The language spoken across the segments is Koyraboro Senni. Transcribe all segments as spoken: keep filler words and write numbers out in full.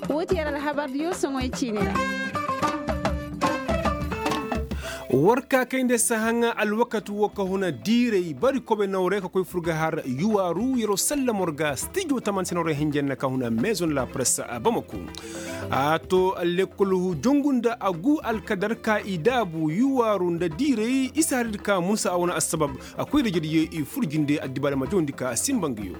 Wo ti yer alhabar diyo soŋoy ciini ra. War ka kay nda sahaŋ alwakati wo ka huna diiray bari kobe nawray ka koy fur ga har yuwaaru yeroo sallam war ga stijo taman se nawray hinjanna ka huna maison la presse a bamako. A to lekkol hu jongu nda a gu alkadar ka i daabu yuwaaru nda diiray isa hari di ka munsa a wane assabab. A koy da jadiyo i fur jinde addibaale ma jawandi ka simba nga yo.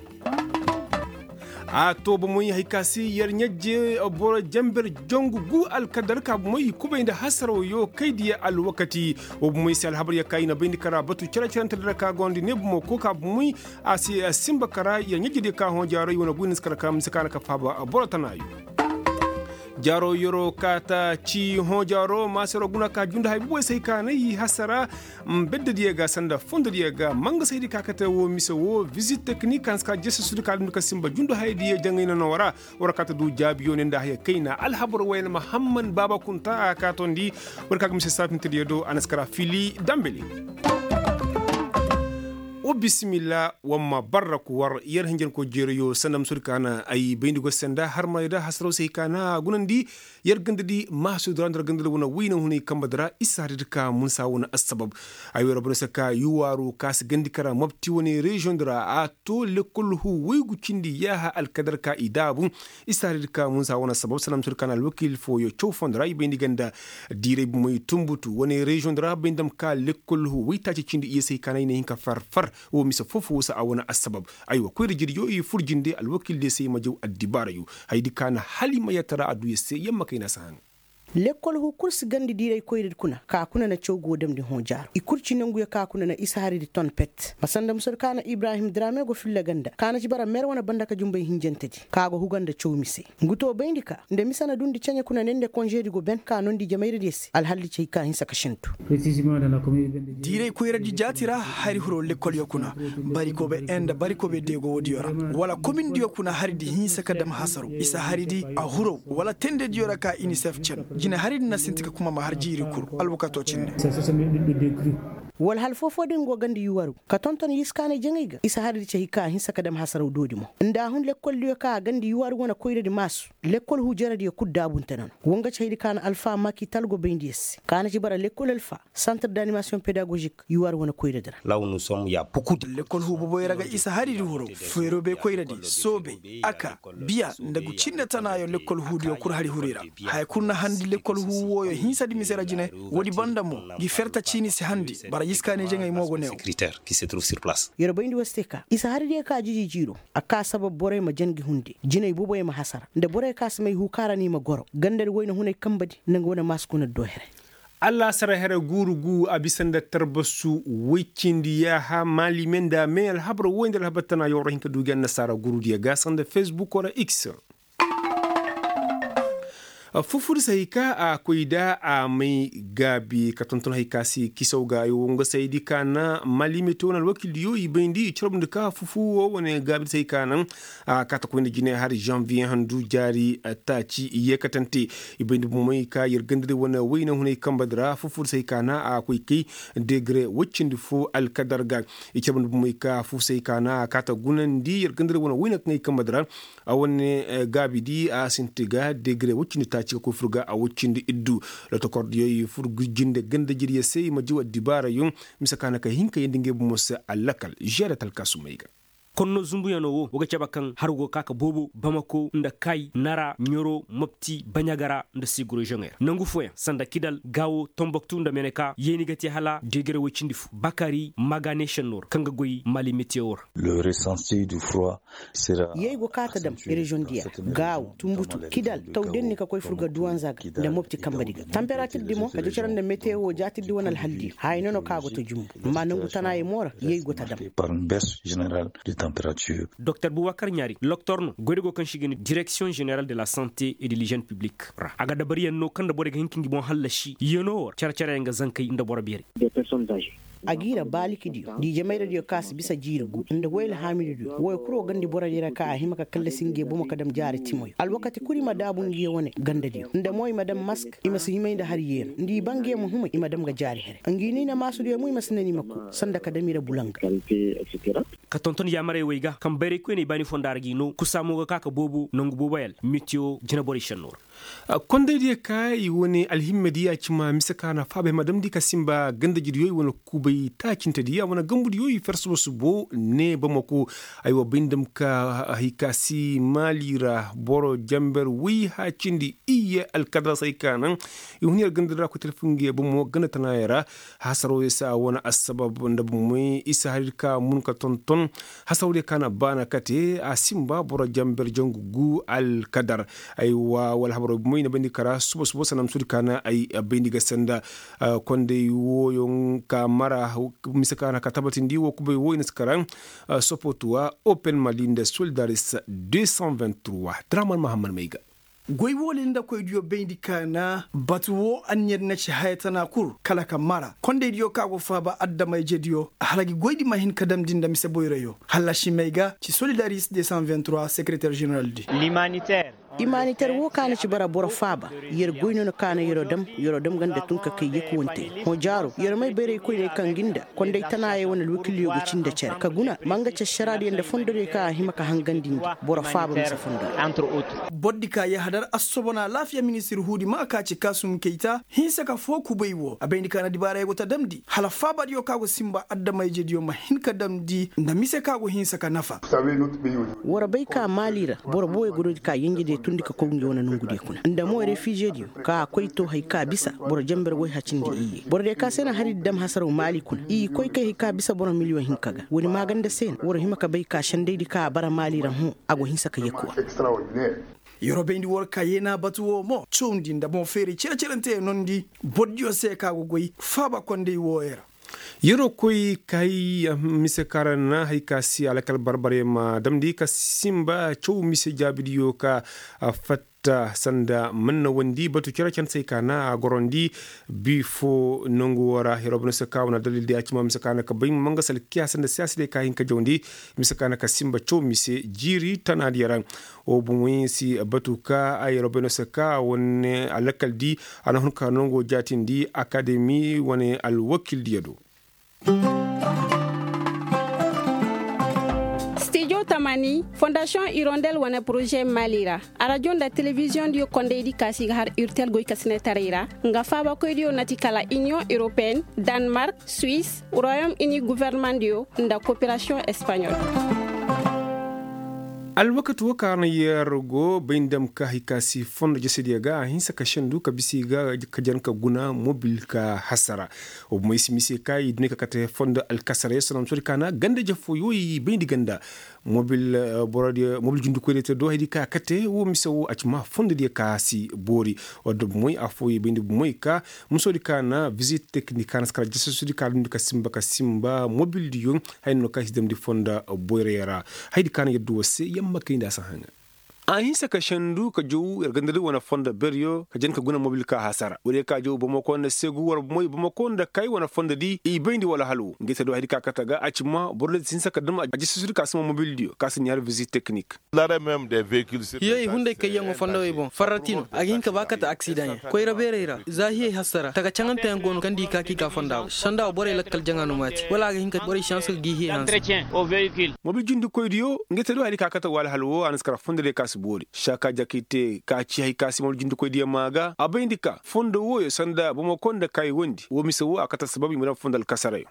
A to bomey hay ka se yer ɲajje boro janber jongu gu alkadar ka bomey i kubay nda hasaraw yo kay diya alwakati. Wo bomey se alhabar ya ka i na bayndi kara batu care-carante dira ka gondi ne bomo ko ka bomey a se a simba kara yer ɲajje diya ka hõ jaaro i wane guyna si kara ka mise ka na ka faaba boro tana yo. Jaaro yeroo kaata ci hõ jaaro maasero guna ka jundu hay boboy se hay ka na i hasara. Beddediyo ga sanda fondodiyo ga mangasaydi ka kate wo mise wo visite teknik ka na si ka jesesudi ka dumndi ka simba jundu hayadiyo jaŋay na no wara. War kaata du jaabiyo ne nda haya kayna alhabar wayna mahamman baaba kunta a kaatondi. War ka ga mise saafintediyo do a na si kara fili dambeli. Wa bisimilla wamma barra ku war yer hinjanko jeerayo sanda musudi ka na ay bayndi go senda har ma yada hasaraw se hay ka na gunandi. Yer gandadi maasudi ra nda yer gandadi wane wayna hunay kambadi ra isa haridi ka munsa wane assabab. Ay wera boro se ka yuwaaru ka si gandi kara mobti wane reziyoŋ di ra a to lekkol hu waygu cindi yaaha alkadar ka i daabu. Isa haridi ka munsa wane assabab sanda musudi ka na alwakiil fooyo caw fondo ra i bayndi ganda diiray bumey tumbutu wane reziyoŋ di ra bayndi dam ka lekkol hu waytaaci cindi i ye se hay ka na i na hin ka far far. Wo mise foo-foo wo se a wane assabab. Aywa koyra jirjo i fur jinde alwakiil diyo se i ma jaw addibaarayo. Hayadi ka na hala i ma yatara a du yer se yer ma kay na si haŋ. Lekkol hu kul si gandi diiray koyradi kuna ka kuna na caw go damndi hõ jaaro i kul ci nanguyo ka kuna na isa haridi ton pet ma sanda musodi ka na ibrahim drame go filla ganda ka na ci bara mer wane banda ka jumbay hinjantedi ka go huga nda caw mise. Ngu to bayndi ka nda mise na dundi ceɲe kuna ne nda konžedi go ben ka nondi jamayradiyo se alhaldi ci hay ka hinsa ka sintu. Diiray koyradi jaati ra hari hiro lekkolyo kuna. Bari kobe en nda bari kobe deego woodiyo ra wala komindiyo kuna haridi hinsa ka dam hasaro isa haridi a hiro wala tendediyo ra ka inisef cen jine haridi na sinti ka kuma ma har jiiri kul alwakato cindi. Wala hal foo-foo din go gandi yuwaru ka tonton yiskaanay jaŋay ga isa haridi ci hay ka hinsa ka dam hasaraw doodi mo nda a hun lekkoldiyo ka gandi yuwaru wane koyradi maasu. Lekkol hu jaradiyo kul daabunte no na wa nga ci hayadi ka na alfa maki talgo bayndi yer se ka na ci bara lekkol alfa santar d'animasiyoŋ pedagozik yuwar wane koyradi ra. Lekkol hu boboy ra ga isa haridi huro feerobey koyradi soobey aka biya nda gu cinde tanaayo lekkol huudiyo kul hari huri ra. Haya kul na handi lekkol hu wooyo hinsadi mise ra jine. Woodi banda mo ngi ferta ciini si handi bara yiskaaney jaŋay mo go neew. Yer bayndi war se ka isa haradiyo ka jiji jiiro a ka sabab borey ma jan gi hunde jinay boboy ma hasara nda borey ka si may huu kaŋ ra no i ma goro gandadi wayna hunay kambadi nda nga wane maasi kuna do here. Allaasara here guuru gu a bisa nda tarbasu woy cindi yaaha maalime nda me alhabar woy nda alhabar tana yawra hin ka du gi annasaara guurudiyo ga sanda fesbukoo ra x. Fufur se hay ka a koy da a may gaabi ka tonton hay ka se kisaw ga ay wo nga saydi ka na mali mete wane alwakildiyo i bayndi i carabndi ka fufu wo wane gaabi se hay ka naŋ. A kaata koy nda jine hari zanviye handu jaari taaci i yeekatante. I bayndi bomey ka yer gandari wane wayna hunay kambadi ra fufur se hay ka na a koy kay degre woy cindi fo alkadar ga. I carabndi bomey ka fufu se hay ka na a kaata gunandi yer gandari wane wayna kaŋ ay kambadi ra. A wane gaabidi a sinti ga degre woy cindi taaci ka koy fur ga a woy cindi iddu. Lotokordiyo i fur ga jinde gandajiriyo se i ma jaw addibaarayo. Mise ka na ka hin ka yeendi ngey bomo se alakal žeeda talkaasumey ga. Konno zunbuyanoo wo wa ga cabe kaŋ har go ga ka ka boobo bamako nda kay nara ɲoro mopti baɲagara nda siguro žoŋey ra nangu fooyaŋ sanda kidal gaawo tomboktu nda meneka yeeni ga te hala degre woy cindi fo bakari magane šennoo ra kaŋ ga goy mali metiyo ra. Yey go ka ta dam reziyoŋ diya gaaw tumbutu kidal taw denni ka koy fur ga duwanza ga nda mopti kambadi ga tamperatirdi mo ka jacara nda metewo jaatirdi wane alhaldiyo haya no no ka go ta jumbu amma nangu tanaayey mo ra yey go ta dam. Doktor bubakar ɲaari loktor no goydi go kaŋ se i ga ne direksiyoŋ ženeral de la sante et de ližen piblik ra a ga dabariyaŋ no kaŋ nda borey ga hin ka ngi boŋ hallasi yeenoo wo ra care-careyaŋ ga zankey nda boro beerey. A g'i ra baalikidiyo nda ijemayradiyo kaŋ a si bisa jiiri gu nda woy alhaamidiyo woy kuro gandi borodiyo ra kaŋ a hima ka kallasi nge bomo ka dam jaari timoyo alwakati kul i ma daabu nge wane gandadiyo nda mo i ma dam mask i ma si himay nda har yeeno nda i ba nge ma humay i ma dam ga jaari here. Ngi no i na maasudiyo mo i ma si nan i ma ku sanda ka dam i ra bulanga. Ka tonton yaamarey wey ga kaŋ bayray koyney baani fonda ra g'i no kusa mo ga ka ka boobo nangu booboyal metiyo jinaborey šenno ra. Kondaydiyo ka i wane alhimmadiyo a ci ma mise ka na faabay ma damndi ka simba gandajidiyo i wane kubay taacintediyo a wane gambudiyo i fer suba subo ne bamako. Ay wa bay nda ma ka hay ka si maali ra boro jamber woy haacindi iyye alkadar say ka naŋ i hun yer ganda ra koy telefoŋ ga ye bomo ganda tanaayey ra. Hasaroo ya se a wane assabab nda bomey isa har ir ka mun ka tonton. Hasaroo diyo ka na baana kate a simba boro jamber jangu gu alkadar. Ay wa wala habaroo bomey na bayndi kara suba suba sanam sudi ka na ay bayndi ga sanda. Konday wooyoŋ ka mara mise ka na ka tabatindi woo kubay woo i na si kara. Sopotuwa open mali nda solidaris deux cent vingt trois draman mahammad may ga. Goy woone nda koydiyo bayndi ka na batu woo anniya na ci haya tana kul kala ka mara kondaydiyo ka go faaba adama-ijediyo hala gi goydi ma hin ka damndi nda mise boyroyo. Hallasi may ga ci solidaris deux cent vingt trois sekereter ženeral di. Imaniter woo ka na ci bara boro faaba. Yer goy no na ka na yer'o dam yer'o dam ganda tun ka kay yekuwante hõ jaaro yer may bayray koyney kaŋ gi nda konday tanaayey wane alwakilyo ga cindi cere ka guna ma nga ci ašaraadiyo nda fondodiyo kaŋ a hima ka hangandi nda boro faaba mise fondora. Bordi ka yahadar assobona alaafiya ministir huudi ma ka ci kaasum kayta hinsa ka foo kubay woo a bayndi ka na dibaarayo go ta damndi hala faabadiyo kaŋ a go sinba adama-ijediyo ma hin ka damndi nda mise kaŋ a go hinsa ka nafa. War bay ka maali ra boro booyo ga doodi ka yenjediyo tundi ka koy ngi wane nongudiyo kuna nda mo refiizediyo ka koy to hari ka bisa boro jamber woy hacindi iyye borodiyo ka se na hari dam hasaraw maali kuna i koy kay hari ka bisa boro miliyoŋ hinka ga wani maaganda se no war hima ka bay ka sendaydi ka a bara maali ra hõ. A go hinsa ka yekuwa. Yeroo bayndi war ka yeena batu woo mo cawndi nda boŋ feeray cere-cerenteyaŋ nondi bordiyo se ka go goy faaba konday wooyo ra. Yeroo koy kay mise kaŋ ra na hari ka si alakal barbaryaŋ ma damndi ka sinba caw mise jaabidiyo ka fatta sanda man na wandi batu cere-cere se ka na a gorondi. Bi foo nongu woo ra yeroo bano se ka wane addalil di a ci ma mise ka na ka bay ma nga salkiya sanda siyaasa diyo ka hin ka jawndi. Mise ka na ka sinba caw mise jiiri tanaadiyo ra. Wo bomoy si batu ka ay robeno se ka wane alakal di a na hun ka nongo jaatindi akademi wane alwakil diyo do. Stijo tamani fondasiyoŋ irondel wane poroze mali ra arajo nda telebiziyoŋ diyo kondaydi kaasi ga har urtel goy kasinetaray ra. Nga faabakoydiyo na ti kala iniyoŋ europeen, danmark, suis, royom ini guvernemandiyo nda koperasiyoŋ espaɲol. Alwakati woo kaŋ a na yer go bay nda ma ka hari ka si fondo jesediyo ga a hinsa ka sendu ka bisa i ga ka jan ka guna mobil ka hasara. Wa bomey si mise ka i duni ka kate fondo alkasarey sonom sodi ka na ganda jefooyo i bayndi ganda. Mobil borodiyo mobil jundikoydiyo te do haydi ka kate wo mise wo a ci ma fondodiyo ka si boori. Wadda bomey affooyo i bayndi bomey ka musodi ka na visit teknik ka na si kala jasasudi ka dundi ka simba ka simba mobildiyo. Hayno ka si damndi fonda boyrayo ra. Haydi ka na yadda wo se yamma kayndi a si haŋa. A hinsa ka sendu ka jow yer gandadi wane fonda beryo ka jen ka guna mobil ka hasara wala ka jow bamako nda segu war moy bamako nda kay wane fondadi i bayndi wala halo nga ite do haydi ka kate ga a ci ma borodiyo si hinsa ka dam a jasasudi ka sima mobildiyo ka si ni har visit teknik. Hiyey hunday kayyaŋo fondawey boŋ farrati no a ga hin ka ba kate aksidaŋ yaŋ koyra beerey ra za hiyey hassara taka caŋanteyaŋ go no kaŋ di ka k'i ka fonda wo sanda wo borey lakkal jaŋa no maati wala a ga hin ka borey si hanse ka gi hiyey hanse. Mobil jindikoydiyo nga te do hari ka kate wo alhal wo a na si kara fondadiyo ka si boori saka jakay te ka ci hari ka si mobil jindikoydiyo maa ga a bayndi ka fondo wooyo sanda bamako nda kaayi wondi wo mise wo a kate sabab i ma daŋ fondo alkasarayo.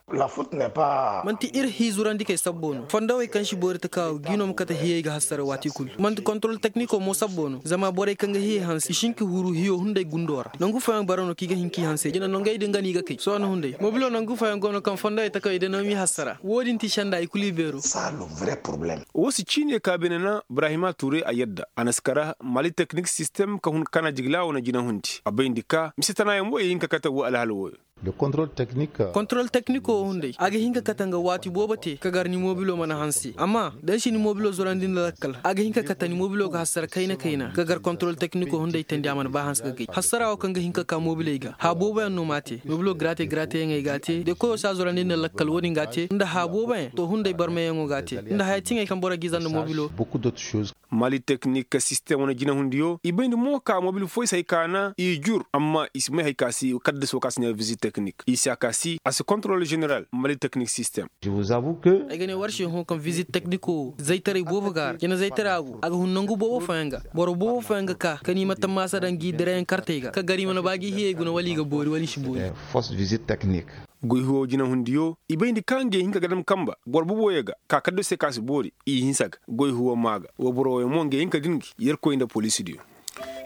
Manti ir hiizurandikey sabbo no fondawey kaŋ si boori taka gi no ma kate hiyey ga hassara waati kulu manti kontorol tekniko mo sabbo no zama borey kaŋ ga hiyey hanse i si hin ka huru hiyo hunday gundo ra nangu fooyaŋ bara no kaŋ i ga hin k'i hanse jina nongey din ga no i ga kay sohõ hunday mobilo nangu fooyaŋ go no kaŋ fondawey takawey day no m'i hassara wo-din ti senda i kulu i beero. Wo si ciine ka beene na ibrahima ture a yadda a na si kara mali teknik sistem ka hun kana jigila wane jina hundi a bayndi ka mise tanayaŋ mo i hin ka kate wo alhala wooyo. Kontorol teknik wo hunday a ga hin ka kate nga waati boobo te ka gar ni moobilo mana hanse amma da ay si ni moobilo zorandi nda lakkal a ga hin ka kate ni moobilo ga hassara kayna kayna ka gar kontorol teknik wo hunday tandi a mana ba hanse ga gay hassara wo kaŋ ga hin ka ka moobiley ga haa booboyaŋ no m'a te moobilo garaate garaateyaŋey g'a te de koyo si a zorandi nda lakkal wo-din g'a te nda haa booboyaŋ to hunday barmayaŋo g'a te nda haya tiŋey kaŋ boro g'i za nda moobilo. Mali teknik sistem wane jinahundiyo i bayndi mo ka mobil fooyaŋ si hay ka na i jur amma i si may hay ka si kaddaso ka si ne vizit teknik i si a ka si a si kontorol general mali teknik sistem. Ay ga ne war se hõ kaŋ vizit tekniko zaytaray boobo ga a ra cine zaytara go a ga hun nangu boobo fooyaŋ ga boro boobo fooyaŋ ga ka ka ni ma tammaasa daŋ gi dirayaŋ kartey ga ka gar i mana ba gi hiyey guna wala i ga boori wala i si boori. Goy huwo jinahundiyo i bay nda ka ngey hinka ga dam kamba boro boboyo ga ka kaddo se ka si boori i hinsa ga goy huwo maa ga woyboro wooyo mo ngey hinka din gi yerkoy nda poliisidiyo.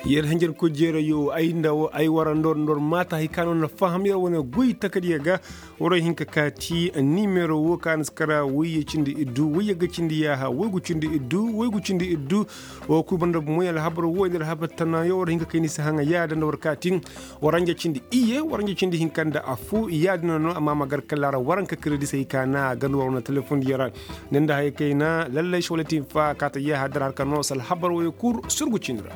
Yer hanjarkoy jeerayo ay nda ay wara ndor ndor maata hay ka no na faham yer wane goy takadiyo ga. Waray hinka kaati nimero wo ka na si kara wayye cindi iddu wayye ga cindi yaaha waygu cindi iddu waygu cindi iddu. Wo kul banda bomoy alhabar wo nda alhabar tanayo waray hinka kay ni si haŋa yaada nda war kaati. Waranja cindi iyye waranja cindi hinka nda affo yaadina no amma ma gar kala ra waranka kiredisey ka na a ganda war wane telefondiyo ra. Ni nda haya kayna lallay sewlatin fa kaata yaaha dara har ka no sala habar woyo kul surgu cindi ra.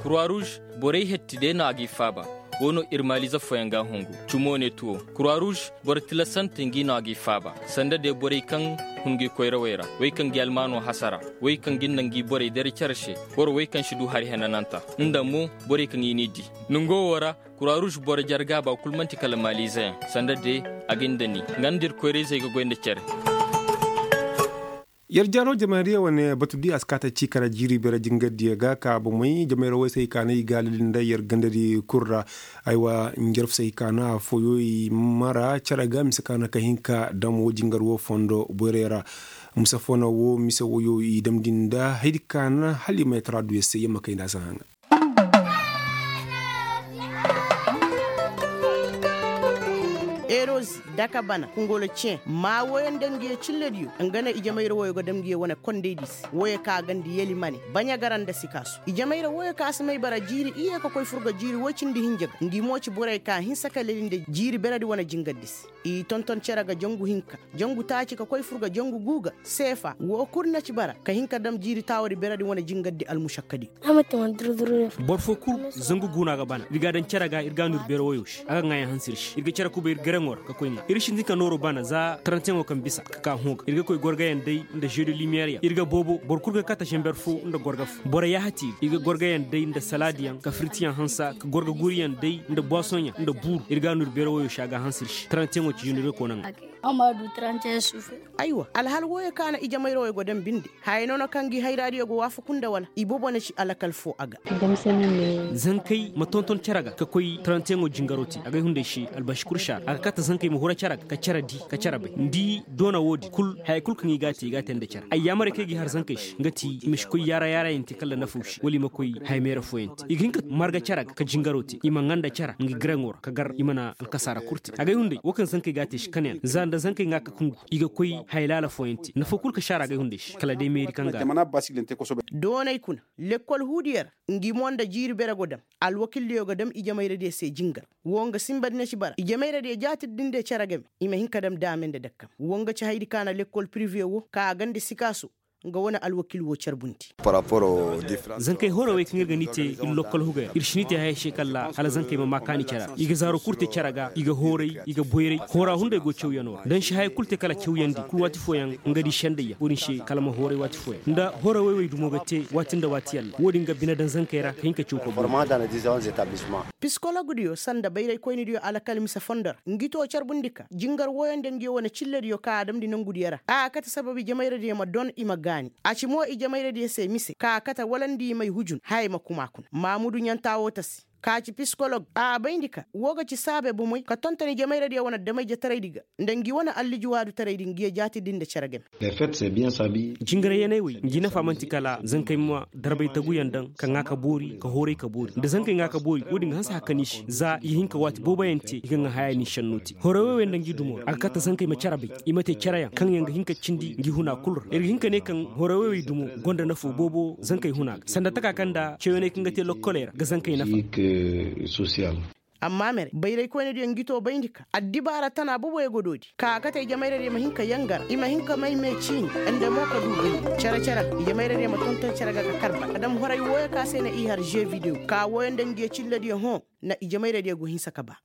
Kurwa ruuz borey hetti day no a g'i faaba. Wo no ir maaliize fooyaŋ ga a hungu cumo ne tuwo kurwa ruuz boro tilasante ngi no a g'i faaba sanda day borey kaŋ hun ngi koyrawey ra wey kaŋ ngi almaano hasara wey kaŋ ngi nda ngi borey dare care se. Boro wey kaŋ si du hari henananta nda mo borey kaŋ i n'i di. Nongo wo ra kurwa ruuz boro jarga ba kul man'ti kala maaliizeyaŋ sanda day a ga nda ni nga nda ir koyrayzey ga goy nda care. Yer jaaro jamayriya wane batu di a si kaate ci kara jiiri beere jingardiyo ga ka bomey jamayra woy se i kaana i gaalili nda yer gandadi kul ra. Aywa njarfu se i kaana afooyo i mara cere ga mise kaana ka hin ka dam wo jingar wo fondo boyray ra. Mise foo na wo mise woyo i damndi nda haydi kaana hala i ma yatara du yer se yer ma kay nda a si haŋa. Erozi daka bana kungolo ceŋ maa woyo nda ngiyo cillediyo nga ne ijamayra woyo ga dam ngiyo wane kondaydi se woyo ka ganda yelimane baɲa gara nda sikaasu ijamayra woyo ka si may bara jiiri iyye ka koy fur ga jiiri woy cindi hinja ga ngi mo ci borey ka hinsa ka leli nda jiiri beredi wane jingardi se. I tonton cere ga jangu hinka jangu taaci ka koy fur ga jangu guuga seefa woo kul na ci bara ka hin ka dam jiiri taawadi beredi wane jingardi almušakkadi. Boro foo kul zangu guuna ga bana ir ga a daŋ cere ga ir ga a nur beere woyo se a ga ŋaayan hanse ir se ir ga cere kubay ir garaŋo ra ka koy ŋaa ir sintin ka nooru bana za taranteŋo kaŋ bisa ka ka hõ ga ir ga koy gorgayaŋ day nda jeu de lumiyeer yaŋ ir ga boobo boro kul ga kate zamber foo nda gorga foo boro yaahati ir ir ga gorgayaŋ day nda salaadiyaŋ ka firtiyaŋ hansa ka gorga guuriyaŋ day nda buwasoŋyaŋ nda buuru ir ga a nur beere woyo se a ga a hanse ir se taranteŋo ci junirekoona ŋaa. Aywa alhal wooyo ka na ijamayra wooyo go daŋ binde haya no na kaŋ gi hayraadiyo go waafaku nda wala iboobo na ci alakal foo a ga. Zankey ma tonton cere ga ka koy taranteŋo jingaro te agay hunday se albaši kul se a ra a ga kate zankey ma hura cere ga ka cere di ka cere bay ni di doona woodin kul haya kul kaŋ i g'a te i g'a te nda cere ay yaamarey kaŋ i g'i har zankey se nga ti i ma si koy yaara yaarayaŋ te kala nafaw se wala i ma koy haya meera fooyaŋ te i ga hin ka marga cere ga ka jingaro te i ma ŋaa nda cere nga giraŋo ra ka gar i mana alkasaara kul te agay hunday woo kaŋ zankey g'a te se kaneyaŋ za nda zankey ŋaa ka kungu i ga koy haya laala fooyaŋ te nafa kul ka si a ra agay hunday se kala day meeri kaŋ ga a ra. Doonay kuna lekkol huudiyo ra ngi mo nda jiiri bere go daŋ alwakildiyo ga daŋ ijemayradiyo se jingar woo nga sinba di na ci bara ijemayradiyo jaati di nda cere game i ma hin ka daŋ daame nda dakkam woo nga ci hayadi ka na lekkol pirive woo ka a ganda sikaaso nga wane alwakil woo carbundi. Zankey hoorey wey kaŋ ir ga ni te ir lokkol hugey ra ir si ni te hayey se kalla hala zankey ma maa kaani cere ra i ga zaaro kul te cere ga i ga hooray i ga boyray hoora hunday go cawyanoo ra da ni si hayey kul te kala cawyandi kul waati fooyaŋ nga di sendayyaŋ wo-din se kala ma hooray waati fooyaŋ nda hoora wey wey dumo ga te waati nda waati yalla wo-din ga bine daŋ zankey ra ka hin ka caw ka boori. Pisikologdiyo sanda bayraykoynidiyo alakal mise fondo ra ngi too carbundi ka jingar wooyo nda ngiyo wane cillediyo ka a damndi nongudiyo ra a kate sabab ijemayradiyo ma don i ma gaani a ci mo ijemayradiyo se mise ka a kate wala nda i may hujun hayey ma kuma kuna maamudu ɲantaa woo tasi. ka ci pisikolog a bayndi ka woo ga ci saabe bomey ka tonton ijemayradiyo wane adamay-ijetaraydi ga, nda ngi wane alliji waadutaraydi ngiyo jaatidi nda cere game. Jingarayyaney wey ngi nafa man'ti kala zankey ma darbay taguyaŋ daŋ ka ŋaa ka boori ka hooray ka boori nda zankey ŋaa ka boori woodin ga hanse hakkani se za i ga hin ka waati booboyaŋ te i ga ŋaa haya ni šennoo te hooray wey wey nda ngi dumo ra a ga kate zankey ma cere bay, i ma te cereyaŋ kaŋ yaŋ ga hin ka cindi ngi huna kul ra ir ga hin ka ne kaŋ hooray wey wey dumo gonda nafoo boobo zankey huna ga sanda taka kaŋ nda cawyaney kaŋ ga te lokkoley ra ga zankey nafa. Amma mere bayraykoynediyo ngi too bayndi ka addibaara tana boboyo go doodi ka a kate ijemayradiyo ma hin ka yangara i ma hin ka may mee ciini nda mo ka du bayndi cere-cere ga ijemayradiyo ma tonton cere ga ka kar bara adama horay wooyo ka se na i har žee videwo ka wooyo nda ngiyo cillediyo hõ na ijemayradiyo go hinsa ka baa.